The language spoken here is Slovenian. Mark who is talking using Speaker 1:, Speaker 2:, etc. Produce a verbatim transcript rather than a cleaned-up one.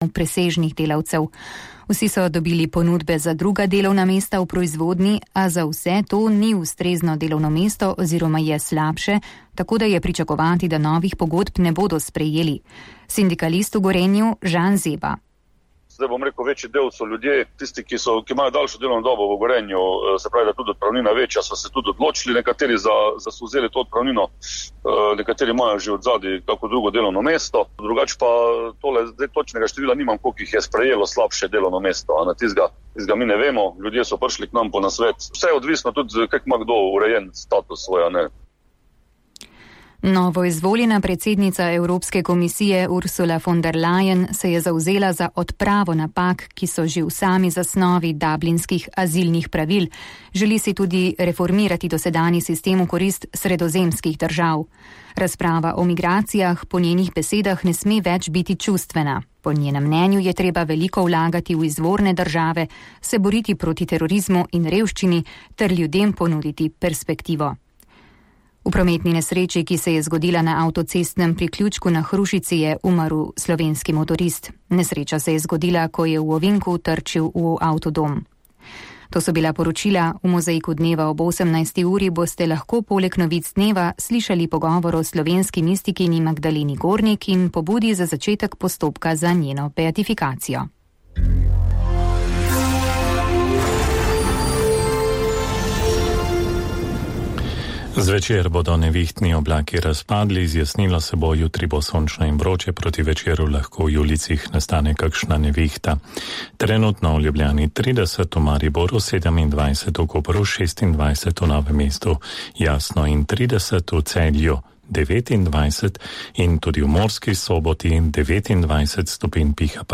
Speaker 1: presežnih delavcev. Vsi so dobili ponudbe za druga delovna mesta v proizvodni, a za vse to ni ustrezno delovno mesto oziroma je slabše, tako da je pričakovati, da novih pogodb ne bodo sprejeli. Sindikalist v Gorenju Žan Zeba.
Speaker 2: Zdaj bom rekel, večji del so ljudje, tisti, ki, so, ki imajo daljšo delovno dobo v Gorenju, se pravi, da tudi odpravnina večja, so se tudi odločili, nekateri za, za so vzeli to odpravnino, nekateri imajo že od zadaj kako drugo delovno mesto, drugače pa tole, zdaj točnega števila nimam, koliko jih je sprejelo slabše delovno mesto, a na tizga, tizga mi ne vemo, ljudje so prišli k nam po nasvet, vse je odvisno tudi, kako ima kdo urejen status svoja, ne.
Speaker 1: Novo izvoljena predsednica Evropske komisije Ursula von der Leyen se je zavzela za odpravo napak, ki so že v sami zasnovi dublinskih azilnih pravil. Želi si tudi reformirati dosedanji sistem v korist sredozemskih držav. Razprava o migracijah po njenih besedah ne sme več biti čustvena. Po njenem mnenju je treba veliko vlagati v izvorne države, se boriti proti terorizmu in revščini ter ljudem ponuditi perspektivo. V prometni nesreči, ki se je zgodila na avtocestnem priključku na Hrušici, je umrl slovenski motorist. Nesreča se je zgodila, ko je v ovinku trčil v avtodom. To so bila poročila. V mozaiku dneva ob osemnajsti uri boste lahko poleg novic dneva slišali pogovor o slovenski mistikini Magdaleni Gornik in pobudi za začetek postopka za njeno beatifikacijo.
Speaker 3: Zvečer bodo nevihtni oblaki razpadli, zjasnilo se bo, jutri bo sončno in vroče, proti večeru lahko v ulicah nastane kakšna nevihta. Trenutno v Ljubljani trideset, v Mariboru sedemindvajset, v Kopru šestindvajset, v Novem mestu jasno in trideset, v Celju devetindvajset in tudi v Murski Soboti devetindvajset stopinj piha pa